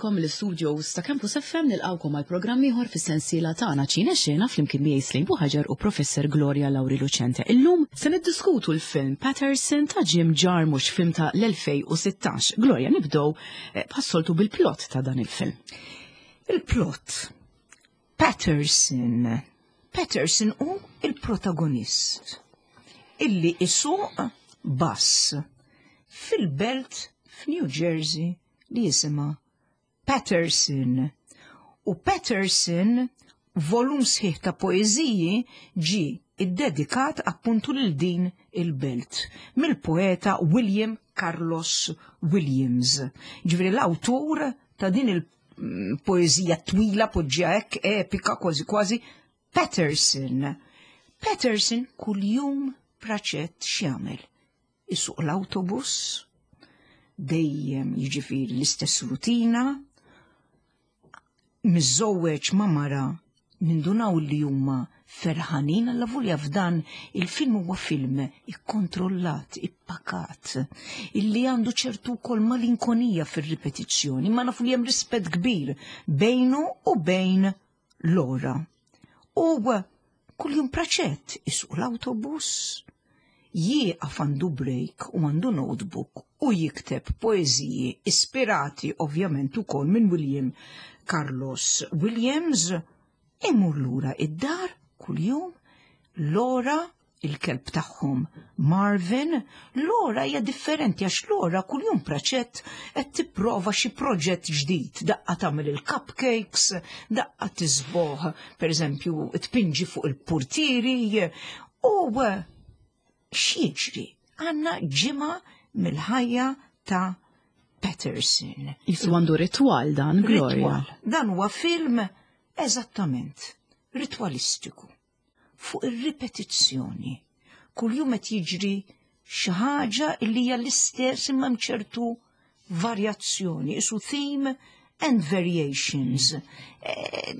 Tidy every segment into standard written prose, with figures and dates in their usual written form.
lilkom mill-istudios ta' Campus FM nilqgħukom għal programm ieħor fis-sensiela tagħna Ċine Xena flimkien miegħi Slejn Buħaġar u Professor Gloria Lauri Lucente. Illum se niddiskutu l-film Patterson ta' Jim Jarmusch, film ta' l-2016. Gloria, nibdew eh, bħas-soltu bil-plot ta' dan il-film. Il-plot Patterson. Patterson hu il-protagonist illi isuq bus fil-belt f'New Jersey li jisimha Patterson. U Patterson volum sħiħ ta' poeżiji ġie iddedikat appuntu lil din il-belt mill-poeta William Carlos Williams. Ġifieri l-awtur ta' din il-poeżija twila poġġija hekk epika kważi kważi Patterson. Patterson kuljum praċett x'jagħmel? Isuq l-autobus, dejjem jiġifieri l-istess rutina, miżżewweġ ma' mara nindunaw li huma ferħanin alla volja f'dan il-film huwa film ikkontrollat, ippakat, illi għandu ċertu wkoll malinkonija fir-ripetizzjoni, ma nafu li hemm rispett kbir bejnu u bejn Laura. U kuljum praċett isuq l-autobus, jieqaf għandu break u għandu notebook u jikteb poeżiji ispirati ovvjament ukoll minn William Carlos Williams, imur lura id-dar kuljum, Laura il-kelb tagħhom Marvin, Laura hija differenti għax Laura kuljum praċett qed tipprova xi proġett ġdid, daqqa tagħmel il-cupcakes, daqqa tisboħ, pereżempju tpinġi fuq il-purtieri u x'jiġri? Għandna ġimgħa mill-ħajja ta' Patterson. Jisu għandu ritwal dan, Gloria. Ritwal. Dan huwa film eżattament ritwalistiku fuq ir-ripetizzjoni. Kuljum qed jiġri xi ħaġa li hija l-istess imma hemm ċertu varjazzjoni, isu theme and variations. Eh,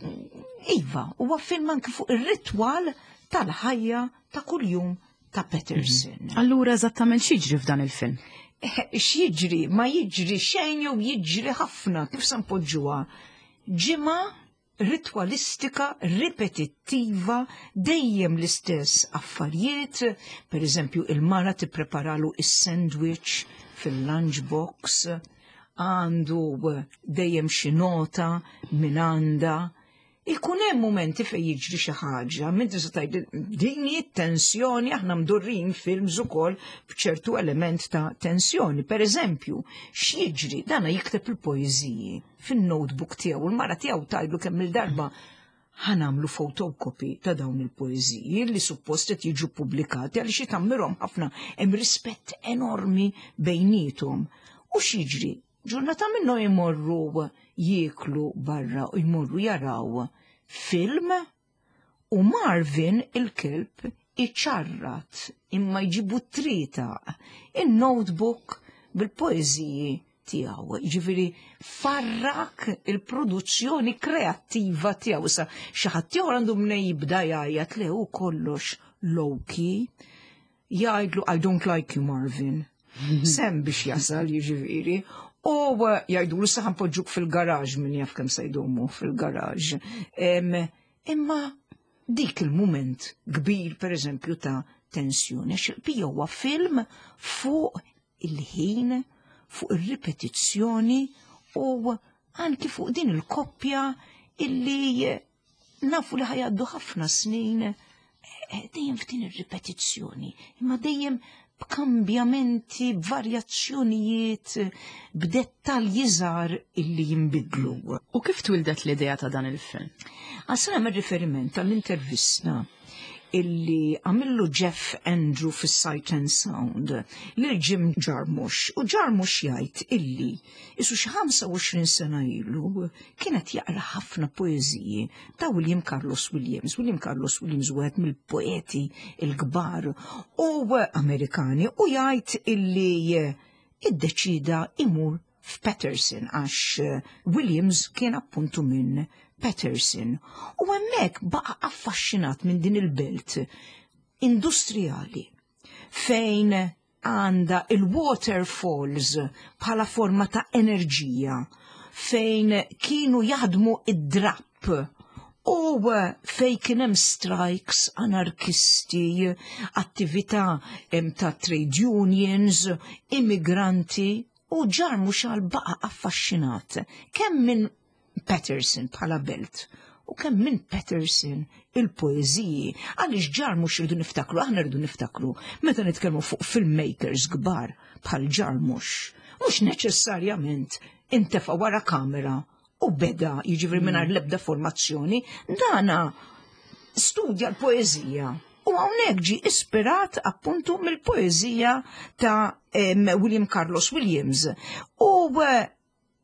iva, huwa film anki fuq ir-ritwal tal-ħajja ta' kuljum ta' Patterson. Mhm. Allura eżattament x'jiġri f'dan il-film? Eh, x'jiġri? Ma jiġri xejn jew jiġri ħafna, kif se npoġġuha? Ġimgħa ritwalistika, ripetittiva, dejjem l-istess affarijiet, per eżempju il-mara tippreparalu is-sandwich fil-lunch box, għandu dejjem xi nota minn għandha. Ikun hemm mumenti fejn jiġri xi ħaġa, minn tista' tgħid din hi tensjoni aħna mdurrin films ukoll b'ċertu element ta' tensjoni. Per eżempju, x'jiġri dana jikteb il-poeżiji fin-notebook tiegħu, il-mara tiegħu tgħidlu kemm il-darba ħanamlu photocopy ta' dawn il-poeżiji li suppost qed jiġu pubblikati għaliex jitammirhom ħafna hemm rispett enormi bejniethom. U x'jiġri? Ġurnata minnhom jmorru jieklu barra u jmorru jaraw film U Marvin il-kelb iċarrat imma jġibu trita in-notebook bil-poeżiji tiegħu. Jiġifieri farrak il-produzzjoni kreattiva tiegħu. Issa xi ħadd ieħor għandu mnej jibda jgħajjat le hu kollox low-key. Jgħidlu I don't like you Marvin. Sem biex jasal jiġifieri. U eh, jgħidulu saħan poġġuk fil-garaġ min jaf kemm se jdumu fil-garaġ. Imma dik il-mument kbir per eżempju ta' tensjoni, għax il-pija huwa film fuq il-ħin, fuq ir-ripetizzjoni u anki fuq din il-koppja illi nafu li ħajaddu ħafna snin eh, eh, dejjem f'din ir-ripetizzjoni, imma dejjem b'kambjamenti, b'varjazzjonijiet, b'dettalji żgħar illi jinbidlu. U kif twildet l-idea ta' dan il-film? Għasna nagħmel riferiment għall-intervista illi għamillu Jeff Andrew fis-Sight and Sound lil Jim Jarmusch u Jarmusch jgħid illi Isu xi 25 sena ilu kienet jaqra ħafna poeżiji ta' William Carlos Williams. William Carlos Williams wieħed mill-poeti l-kbar u Amerikani u jgħid illi iddeċida imur f'Patterson għax Williams kien appuntu minn Patterson. U hemmhekk baqa' affaxxinat minn din il-belt industrijali fejn għandha il-waterfalls bħala forma ta' enerġija. fejn kienu jaħdmu id-drapp u fej kien hemm strikes anarkisti, attività ta' trade unions, immigranti u Jarmusch għal baqa affaxxinat kemm minn Paterson bħala belt u kemm minn Paterson il-poeżiji. Għaliex Jarmusch irridu niftakru, aħna rridu niftakru, meta nitkellmu fuq filmmakers kbar bħal Jarmusch, mhux neċessarjament intefa' wara kamera u beda jiġifieri mingħajr l-ebda formazzjoni, dana studja l-poeżija. U hawnhekk ġie ispirat appuntu mill-poeżija ta' William Carlos Williams. U eh,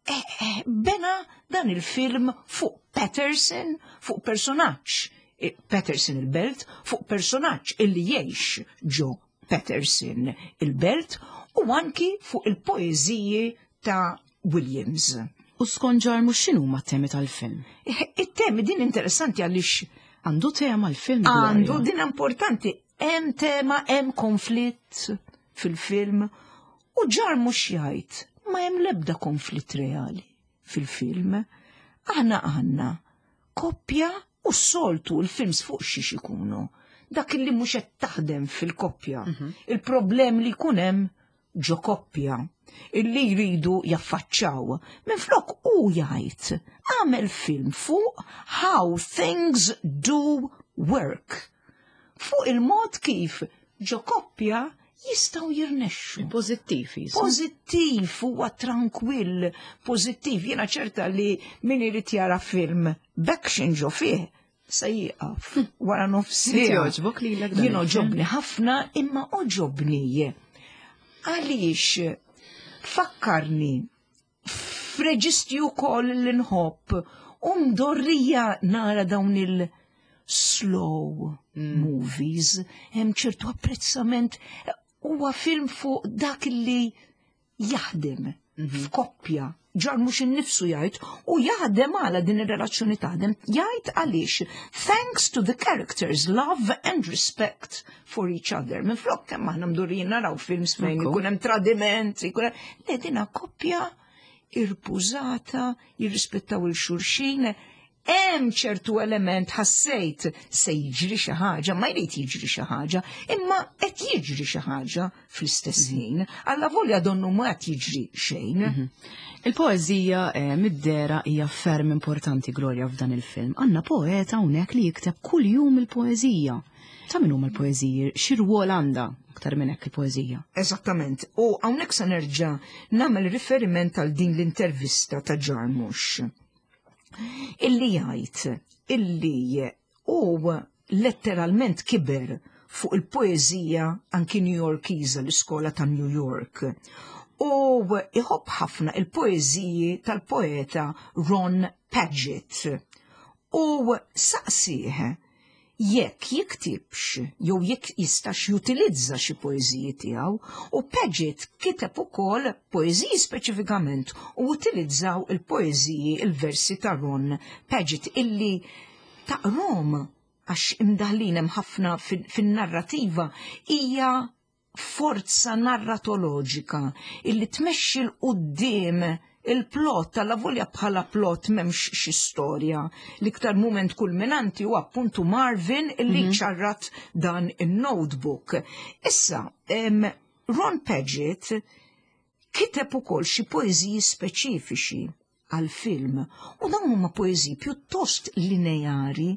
eh, bena dan il-film fuq Paterson, fuq personaġġ eh, Paterson il-belt, fuq personaġġ illi jgħix ġo Paterson il-belt u anki fuq il-poeżiji ta' Williams. U skont Jarmusch x'inhuma t-temi tal-film? It-temi din interessanti għaliex għandu tema l-film. Għandu din importanti, hemm tema, hemm konflitt fil-film u Jarmusch jgħid ma hemm l-ebda konflitt reali fil-film. Aħna għandna koppja u s-soltu l-films fuq xiex ikunu. Dak li mhux qed taħdem fil-koppja. Il-problem li jkun hemm ġo koppja illi jridu jaffaċċaw. Minflok u jgħid għamel film fuq how things do work. Fuq il-mod kif ġo koppja jistgħu jirnexxu. Pożittiv jisu. Pożittiv, huwa trankwill, pożittiv. Jiena ċerta li min irid jara film b'action ġo fih se jieqaf wara nofs Inti jogħġbok lilek dan Jien il-film? oġobni ħafna imma oġobni. Għaliex fakkarni f'reġistri wkoll li nħobb u mdorrija nara dawn il-slow movies, hemm ċertu apprezzament huwa film fuq dak li jaħdem f'koppja. Jarmusch innifsu jgħid u jaħdem għala din ir-relazzjoni taħdem, jgħid għaliex thanks to the characters love and respect for each other. Minflok kemm aħna mdorrijin naraw films fejn ikun hemm tradiment, ikun hemm le dina koppja irpużata, jirrispettaw il-xulxin, hemm ċertu element ħassejt se jiġri xi ħaġa, ma jrid jiġri xi ħaġa, imma qed jiġri xi ħaġa fl-istess ħin. Alla volja donnu ma qed jiġri xejn. Il-poeżija eh, mid-dera hija ferm importanti Gloria f'dan il-film. Għandna poeta hawnhekk li jikteb kuljum il-poeżija. Ta' min huma l-poeżiji? Xi rwol għandha aktar minn hekk il-poeżija? Eżattament. U hawnhekk se nerġa' nagħmel riferiment għal din l-intervista ta' Jarmusch. Illi jgħid illi hu letteralment kiber fuq il-poeżija anki New Yorkiża l-iskola ta' New York. U iħobb ħafna il-poeżiji tal-poeta Ron Padgett. U saqsih jekk jiktibx jew jekk jistax jutilizza xi poeżiji tiegħu u Padgett kiteb ukoll poeżiji speċifikament u utilizzaw il-poeżiji il-versi ta' Ron Padgett illi taqrom għax imdaħlin hemm ħafna fin-narrativa hija forza narratoloġika illi tmexxi 'l quddiem il-plot alla volja bħala plot m'hemmx xi storja. L-iktar mument kulminanti huwa appuntu Marvin illi ċarrat dan in-notebook. Issa, Ron Padgett kiteb ukoll xi poeżiji speċifiċi għal-film u dawn huma poeżiji pjuttost lineari,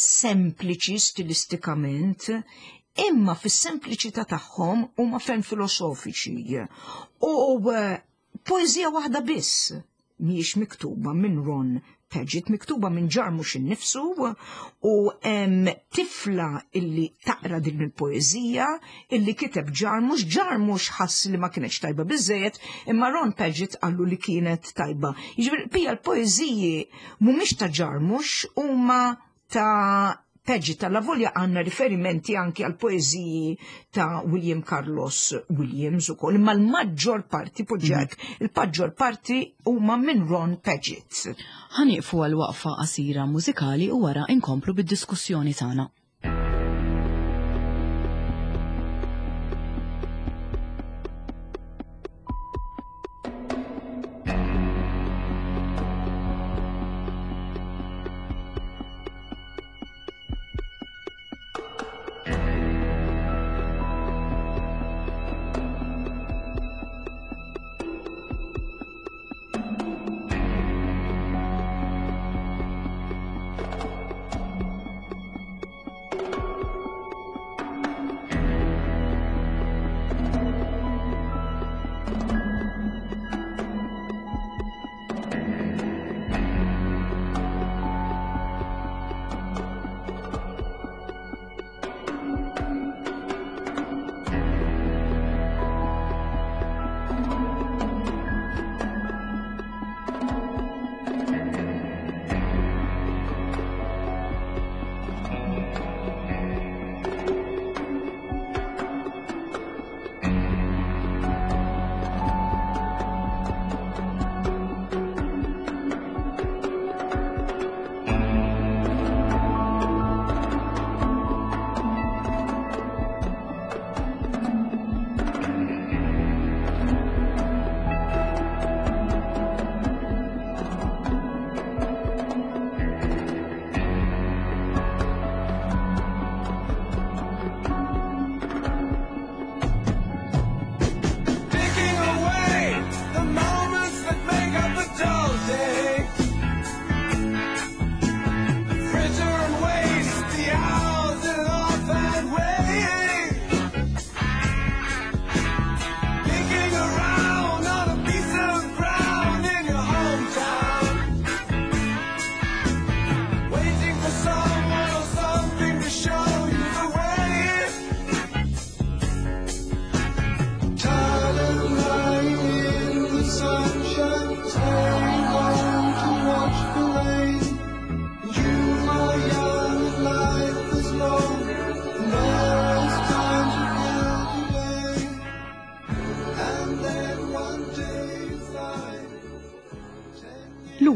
sempliċi stilistikament, imma fis-sempliċità tagħhom huma ferm filosofiċi. U eh, poeżija waħda biss mhijiex miktuba minn Ron Padgett, miktuba minn Jarmusch innifsu u hemm tifla illi taqra din il-poeżija illi kiteb Jarmusch, Jarmusch ħass li ma kienx tajba biżejjed, imma Ron Padgett qallu li kienet tajba. Jiġifieri pija l-poeżiji mhumiex ta' Jarmusch huma ta' Padgett alla volja għandna riferimenti anki għal poeżiji ta' William Carlos Williams ukoll, imma l-maġġor parti poġġek, il-maġġor parti huma minn Ron Padgett. Ħa nieqfu għal waqfa qasira mużikali u wara inkomplu bid-diskussjoni tagħna.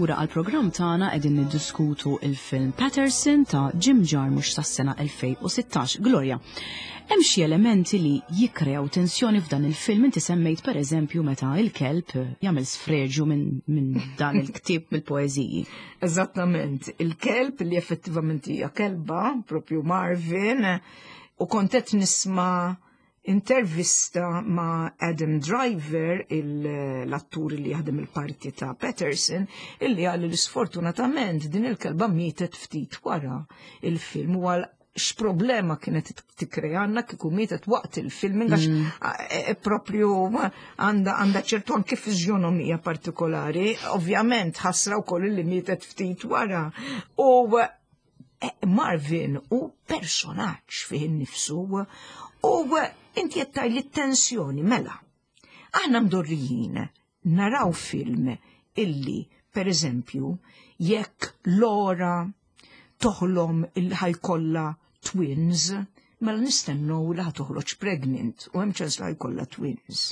Lura għall-programm tagħna qegħdin niddiskutu il-film Patterson ta' Jim Jarmusch tas-sena 2016. Gloria, hemm xi elementi li jikkrew tensjoni f'dan il-film inti semmejt pereżempju meta il-kelb jagħmel sfreġu minn min dan il-ktieb mill-poeżiji. Eżattament, il-kelb li effettivament hija kelba, propju Marvin, u kont qed nisma' intervista ma' Adam Driver, l-attur li jaħdem il-parti ta' Patterson, illi għalli li sfortunatament din il-kelba mietet ftit wara il-film u għal x'problema kienet tikkrejanna kieku mietet waqt il-film għax e, e, propju għandha għandha ċertu anke fiżjonomija partikolari, ovvjament ħasra wkoll li mietet ftit wara. U Eh, Marvin u personaġġ fih innifsu u inti qed li tensjoni mela. Aħna mdorrijin naraw film illi, per eżempju, jekk Laura toħlom il ħajkolla twins, mela nistennu li toħroġ pregnant u hemm ċans li ħajkollha twins.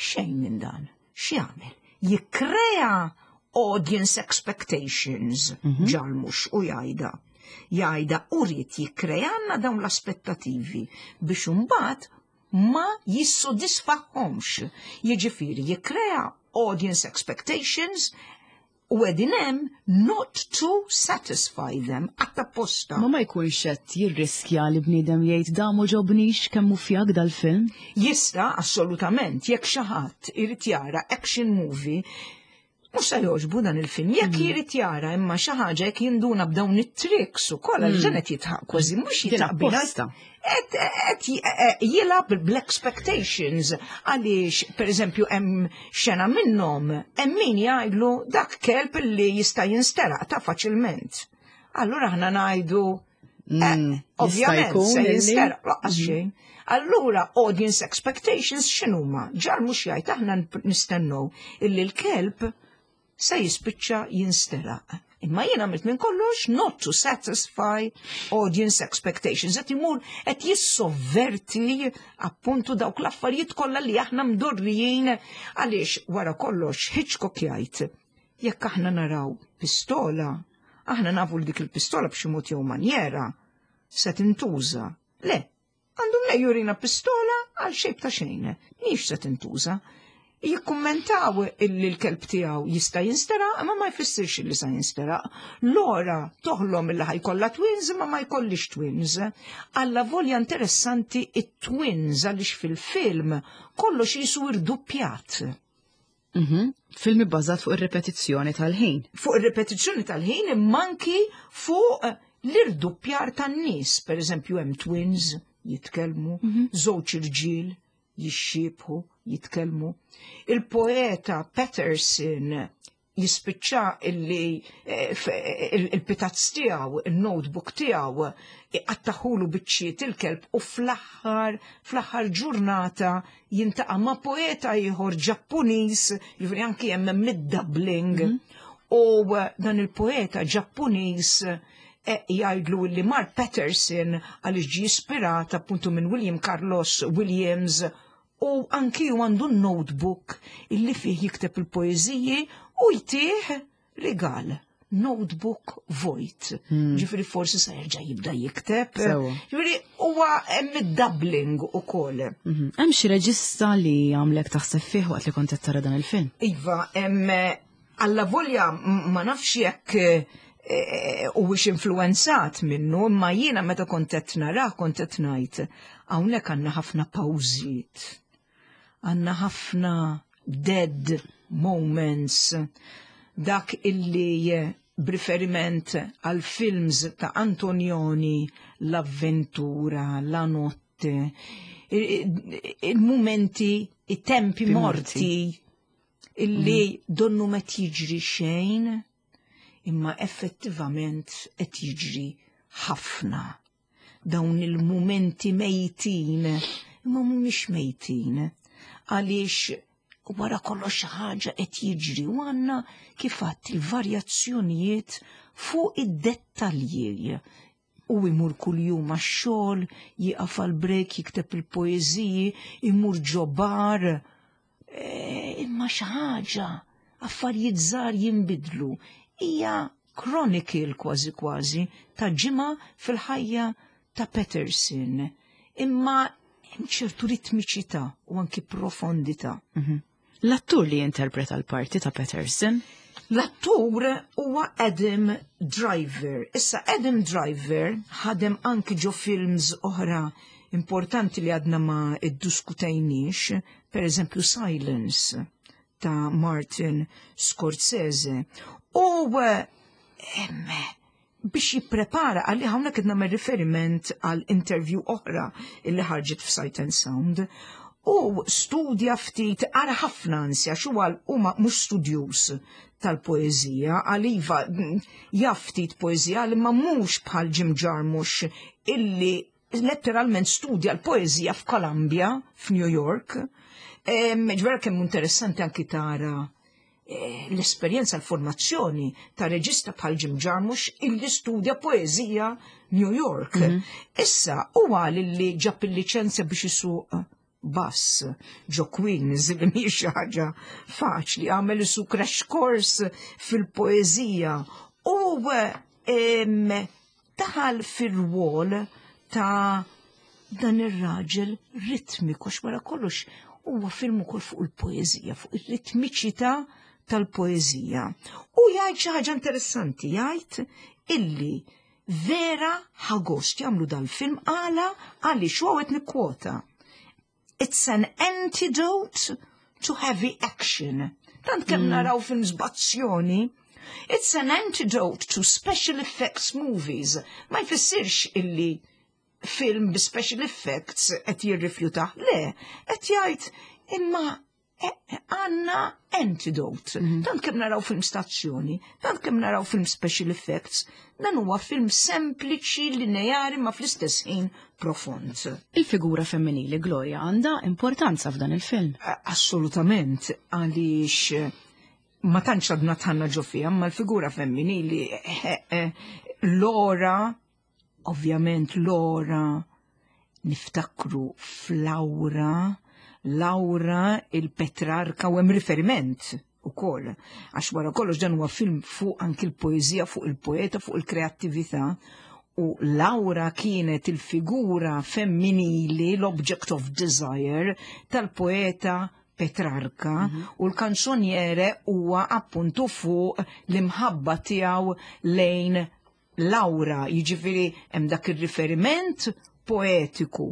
Xejn minn dan. X'jagħmel? Jikkrea audience expectations mm Jarmusch u jgħidha. Jgħidha u rrid jikkrejanna dawn l-aspettativi biex imbagħad ma jissodisfaħħomx. Jiġifieri jikkrea audience expectations u qegħdin hemm not to satisfy them apposta. Ma ma jkunx qed jirriskja li bniedem jgħid da m'għoġobnix kemm hu fjak dal-film? Jista' assolutament jekk xi ħadd irid jara action movie mhux se jogħġbu dan il-film. Jekk jrid jara imma xi ħaġa jekk jinduna b'dawn it-tricks ukoll għal ġenet jitħaq kważi mhux jitħaq apposta. Qed jilgħab bl-expectations għaliex pereżempju hemm xena minnhom hemm min jgħidlu dak kelb li jista' jinsteraq ta' faċilment. Allura aħna ngħidu jista' ovvjament jkun se illi- jinsteraq lanqas xejn. Allura audience expectations x'inhuma? Jarmusch jgħid aħna nistennew illi l-kelb se jispiċċa jinsteraq. Imma jien għamilt minn kollox not to satisfy audience expectations. Qed imur qed jissovverti appuntu dawk l-affarijiet kollha li aħna mdorrijin għaliex wara kollox Hitchcock jgħid jekk aħna naraw pistola, aħna nafu li dik il-pistola b'xi mod jew manjera se tintuża. Le, għandu mnejn jurina pistola għal xejn ta' xejn, mhix se tintuża. Jikkummentaw illi l-kelb tiegħu jista' jinsteraq, imma ma jfissirx illi se jinsteraq. Laura toħlom illi ħa jkollha twins, imma ma jkollix twins. Alla volja interessanti it-twins għaliex fil-film kollox jisu irduppjat. Film ibbażat fuq ir-ripetizzjoni tal-ħin. Fuq ir-ripetizzjoni tal-ħin imma anki fuq l-irduppjar tan-nies. Per eżempju, hemm twins jitkellmu, żewġ irġiel jixxiebħu, jitkellmu. Il-poeta Patterson jispiċċa illi il-pitazz tiegħu, il-notebook tiegħu, iqattaħulu biċċiet il-kelb u fl-aħħar ġurnata jiltaqa' ma' poeta ieħor Ġappuniż, jiġifieri anki hemm mid-doubling. U dan il-poeta Ġappuniż jgħidlu li Mark Patterson għaliex ġie ispirat appuntu minn William Carlos Williams u anki ju għandu notebook illi fih jikteb il-poeżiji u jtih rigal. Notebook vojt. Ġifieri forsi sa jerġa' jibda jikteb. Ġifieri huwa hemm id-doubling ukoll. Hemm xi reġista li għamlek taħseb fih waqt li kont qed tara dan il-film? Iva, hemm alla volja ma nafx jekk huwiex influenzat minnu, imma jiena meta kont qed narah kont qed ngħid hawnhekk għandna ħafna pawżiet. Għandna ħafna dead moments. Dak illi b'riferiment għal films ta' Antonioni, l-avventura, la notte, il-momenti, i-tempi morti, illi donnu ma jiġri xejn, imma effettivament qed jiġri ħafna. Dawn il-momenti mejtin, imma mhumiex mejtin, għaliex wara kollox xi ħaġa qed jiġri u għandna kif għadt il-varjazzjonijiet fuq id-dettalji. U imur kuljum għax-xogħol, jieqaf għal break, jikteb il-poeżiji, imur ġo bar. Imma xi ħaġa. Affarijiet żgħar jinbidlu. Hija chronicle kważi kważi ta' ġimgħa fil-ħajja ta' Peterson. Imma hemm ċertu ritmiċità u anki profondità. L-attur li jinterpreta l-parti ta' Peterson? L-attur huwa Adam Driver. Issa Adam Driver ħadem anki ġo films oħra importanti li għadna ma iddiskutejniex, per eżempju Silence ta' Martin Scorsese. U emme, biex jipprepara għalli hawnhekk qed nagħmel riferiment għal interview oħra illi ħarġet f'Sight and Sound. U studja ftit ara ħafna ansja xu għal huma mhux studjuż tal-poeżija, għal iva jaf ftit poeżija li ma mhux bħal Jim Jarmusch illi letteralment studja l-poeżija f'Columbia, f'New York. Ġvera kemm interessanti anki tara l-esperjenza l-formazzjoni ta' reġista bħal Jim Jarmusch illi studja poeżija New York. Issa huwa li ġab il-liċenzja biex isuq bass ġo Queens li mhix xi ħaġa faċli, għamel isu crash course fil-poeżija u daħal fir-rwol ta' dan ir-raġel ritmiku għax wara kollox huwa film ukoll fuq il-poeżija, fuq ir-ritmiċità tal-poeżija. U jgħid xi ħaġa interessanti, jgħid illi vera ħagost jagħmlu dal-film għala għaliex huwa qed nikkwota. It's an antidote to heavy action. Tant kemm naraw films b'azzjoni, it's an antidote to special effects movies. Ma jfissirx illi film bi special effects qed jirrifjutah. Le, qed jgħid imma għandna antidote. Tant kemm naraw film stazzjoni, tant kemm naraw film special effects, dan huwa film sempliċi, lineari ma fl-istess ħin profond. Il-figura femminili Gloria għandha importanza f'dan il-film. Assolutament, għaliex ma tantx għadna tħanna ġo fiha, ma l-figura femminili Laura, ovvjament Laura, niftakru f'Laura, Laura il-Petrarka u hemm riferiment ukoll. Għax wara kollox dan huwa film fuq anki l-poeżija, fuq il-poeta, fuq il-kreattività. U Laura kienet il-figura femminili, l-object of desire tal-poeta Petrarka u l-kanzoniere huwa appuntu fuq l-imħabba tiegħu lejn Laura, jiġifieri hemm dak ir-riferiment poetiku.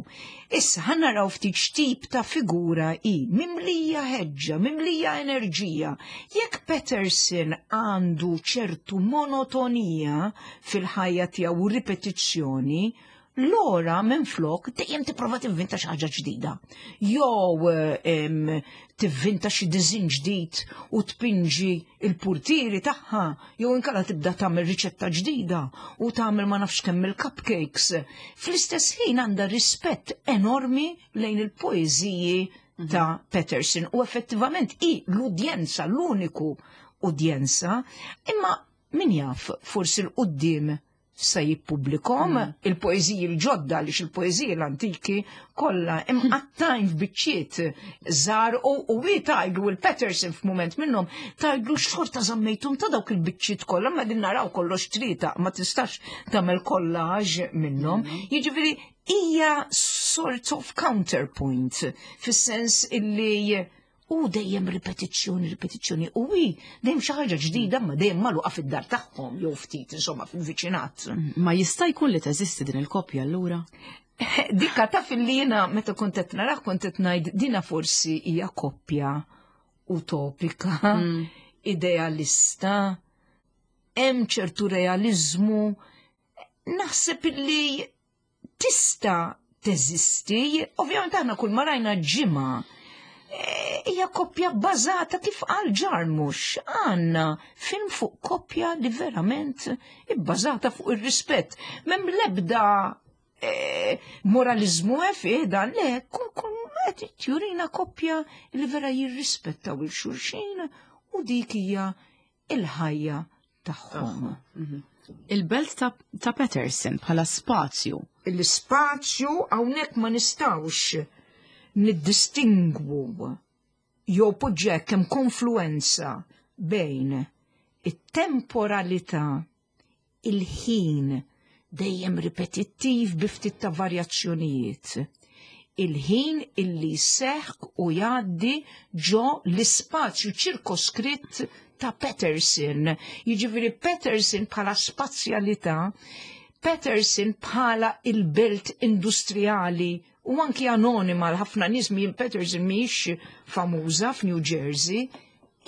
Issa ħa naraw ftit x'tip ta' figura hi, mimlija ħeġġa, mimlija enerġija. Jekk Peterson għandu ċertu monotonija fil-ħajja tiegħu u ripetizzjoni, Laura minflok dejjem tipprova tivvinta xi ħaġa ġdida. Jew tivvinta xi diżin ġdid u tpinġi il-purtieri tagħha, jew inkella tibda tagħmel riċetta ġdida u tagħmel ma nafx kemm il-cupcakes. Fl-istess ħin għandha rispett enormi lejn il-poeżiji ta' Peterson u effettivament hi l-udjenza, l-uniku udjenza, imma min jaf forsi l-quddiem se jippubblikom il-poeżiji l-ġodda għaliex il-poeżiji l-antiki kollha imqattajn f'biċċiet żgħar u hi tgħidlu il-Peterson f'mument minnhom tgħidlu xorta żammejtum ta' dawk il-biċċiet kollha ma din naraw kollox trieta ma tistax tagħmel collage minnhom. Jiġifieri hija sort of counterpoint fis-sens illi u dejjem ripetizzjoni, ripetizzjoni, u hi dejjem xi ħaġa ġdida ma dejjem magħluqa fid-dar tagħhom jew ftit insomma fil-viċinat. Ma jista' jkun li teżisti din il-koppja allura? Dikka taf li jiena meta kont qed narah kont qed ngħid dina forsi hija koppja utopika, idealista, hemm ċertu realizmu. Naħseb li tista' teżisti, ovvjament aħna kull ma rajna ġimgħa hija koppja bbażata kif qal Jarmusch, għandna film fuq koppja li verament ibbażata fuq ir-rispett. M'hemm l-ebda moralizmu fih dan, le, kull qed jurina koppja li vera jirrispettaw il-xulxin u dik hija il-ħajja tagħhom. Il-belt ta' Peterson bħala spazju. Il-spazju hawnhekk ma nistgħux niddistingwu jew poġġek hemm konfluenza. bejn it-temporalità, il-ħin dejjem ripetittiv bi ftit ta' varjazzjonijiet. Il-ħin illi seħk u jgħaddi ġo l-ispazju ċirkoskritt ta' Patterson. Jiġifieri Patterson bħala spazjalità, Patterson bħala il-belt industrijali u anki anonima l-ħafna nies minn Patterson mhijiex famuża f'New Jersey,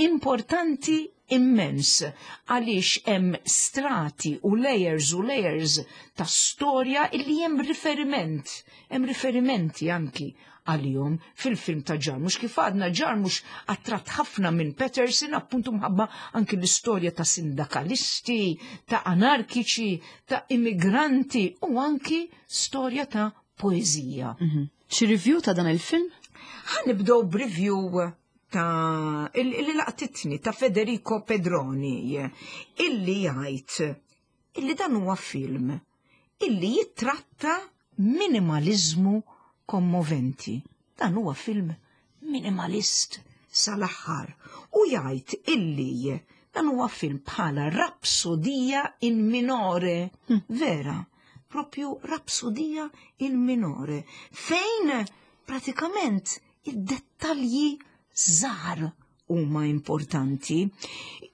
importanti immens għaliex hemm strati u layers u layers ta' storja illi hemm riferiment, hemm riferimenti anki għalihom fil-film ta' Jarmusch. Kif għadna, Jarmusch attratt ħafna minn Patterson, appuntu mħabba anki l-istorja ta' sindakalisti, ta' anarkiċi, ta' immigranti u anki storja ta' poezija. Xi review ta' dan il-film? Ħa nibdew b'review ta' illi laqtitni ta' Federico Pedroni, illi jgħid illi dan huwa film illi jittratta minimalizmu kommoventi. Dan huwa film minimalist sal-aħħar u jgħid illi dan huwa film bħala rapsodija in minore, vera, propju rapsodija in minore, fejn pratikament id-dettalji żgħar huma importanti.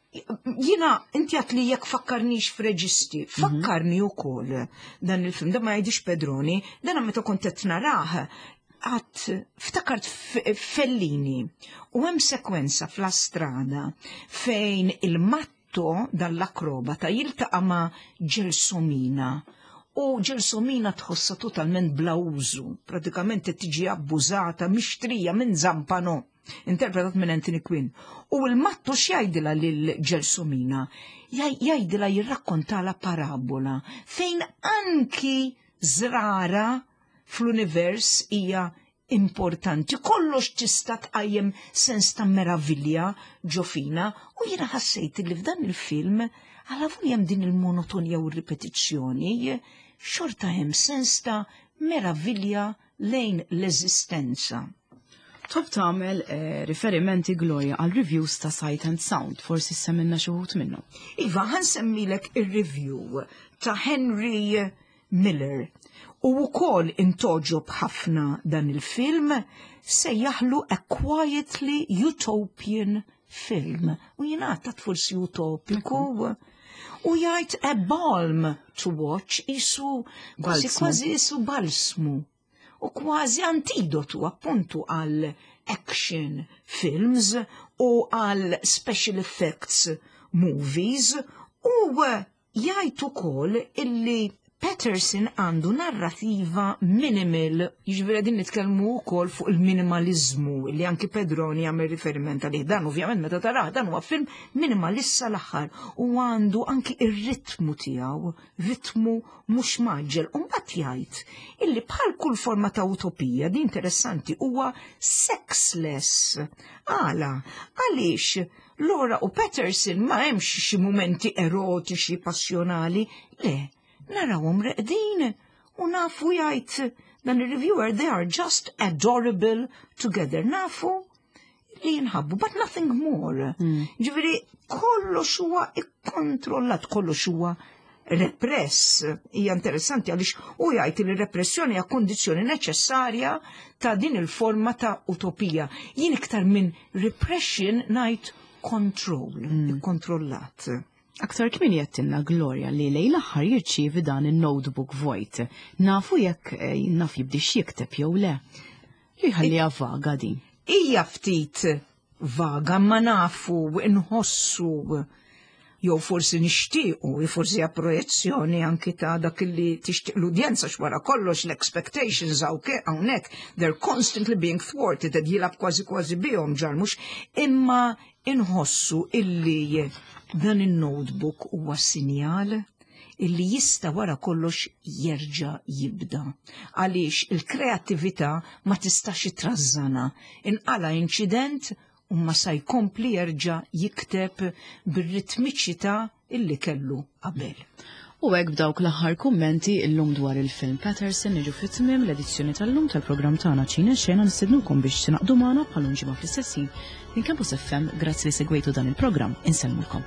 Jiena, inti għedt li jekk fakkarnix f'reġisti, fakkarni ukoll dan il-film, da ma jgħidix Pedroni, dan meta kont qed narah, għat ftakart Fellini u hemm sekwenza f'La Strada fejn il-matto dall-akrobata jiltaqa' ma' Gelsomina u Gelsomina tħossa totalment bla użu, pratikament qed tiġi abbużata, mixtrija minn Zampano, interpretat minn Anthony Quinn. U il-matto x'jgħidilha lil Gelsomina? Jgħidilha, jirrakkontala parabola fejn anki żrara fl-univers hija importanti. Kollox tista' tqajjem sens ta' meravilja ġo fina u jiena ħassejt li f'dan il-film, għala hemm din il-monotonja u r-ripetizzjoni, xorta hemm sens ta' meravilja lejn l-eżistenza. Top tagħmel riferimenti, Gloria, għal reviews ta' Sight and Sound, forsi semmilna xi wħud minnhom. Iva, ħa nsemmilek il-review ta' Henry Miller. U wkoll intgħoġob ħafna dan il-film, sejjaħlu "A Quietly Utopian Film". U jingħata forsi utopiku. U jgħid "a balm to watch", isu kważi Balsmu. Kważi isu balsmu. U kważi antidotu appuntu għal action films u għal special effects movies, u jgħid ukoll illi Patterson għandu narrativa minimal, jiġifieri din nitkellmu wkoll fuq il-minimalizmu li anki Pedroni għamel riferiment għalih. Dan ovvjament meta tarah, dan huwa film minimalista l-aħħar u għandu anki ir-ritmu tiegħu, ritmu mhux mgħaġġel. U mbagħad jgħid illi bħal kull forma ta' utopija, di interessanti, huwa sexless. Għala, għaliex Laura u Patterson ma hemmx xi mumenti erotiċi passjonali, le, narawhom reqdin u nafu, jgħid dan il-reviewer, "they are just adorable together". Nafu li jinħabbu, but nothing more. Ġifieri, kollox huwa ikkontrollat, kollox huwa repress. Hija interessanti għaliex u jgħid li repressjoni hija kondizzjoni neċessarja ta' din il-forma ta' utopija. Jien iktar minn repression ngħid control, ikkontrollat. Aktar kmieni għedtilna, Gloria, li lejn l-aħħar jirċievi dan il-notebook vojt. Nafu jekk naf jibdix jikteb jew le? Jħalliha vaga din. Hija ftit vaga, ma nafu, nħossu jew forsi nixtiequ, forsi hija projezzjoni anki ta' dak li tixtieq l-udjenza, x'wara kollox l-expectations hawnhekk they're constantly being thwarted, qed jilgħab kważi kważi bihom Jarmusch, imma inħossu illi dan il-notebook huwa sinjal illi jista' wara kollox jerġa' jibda. Għaliex il-kreattività ma tistax trażżanha. Inqala inċident u ma sa jkompli jerġa' jikteb bir-ritmiċità illi kellu qabel. U hekk b'dawk l-aħħar kummenti illum dwar il-film Patterson niġu fi tmiem l-edizzjoni tal-lum tal-programm tagħna Ċine Xena. Nistednukom biex tingħaqdu magħna bħal ġimgħa fl-istess ħin minn Campus FM. Grazzi li segwejtu dan il-programm. Insellmulkom.